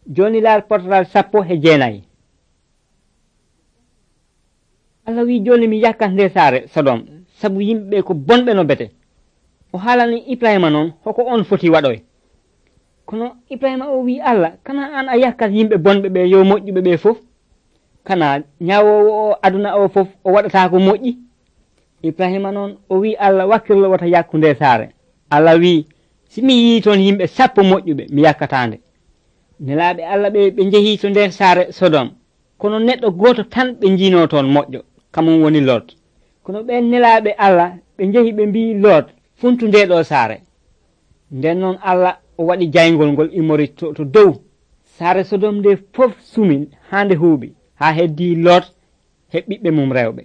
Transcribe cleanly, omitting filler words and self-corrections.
joni laar portal 19. Allah wi joni mi yakkat nde saare Sodom sabu yimɓe ko bonɓe no bete. O haalani Ibrahima noon hoko on foti waɗoy. Kono Ibrahima o wi Allah kana an a yakkat yimɓe bonɓe ɓe yo moƴƴuɓe ɓe fof, kana ñawowo o aduna o fof o waɗata ko moƴƴi. Ibrahima noon o wi Allah wakkirlo wata yakku nde saare. Allah wi si mi yii toon yimɓe 10 moƴƴuɓe mi yakkatande. Nelaaɓe Allah ɓe jehi to nder saare Sodom, kono neɗɗo goto tan ɓe jiino toon moƴƴo, kamum woni Lot. Kono ɓen nelaaɓe Allah ɓe jehi ɓe mbi Lot funtu nde ɗo saare. Nden noon Allah o waɗi jayngol ngol immori to dow saare Sodom nde fof sumi haa nde huuɓi haa heddi Lot he ɓiɓɓe mum rewɓe.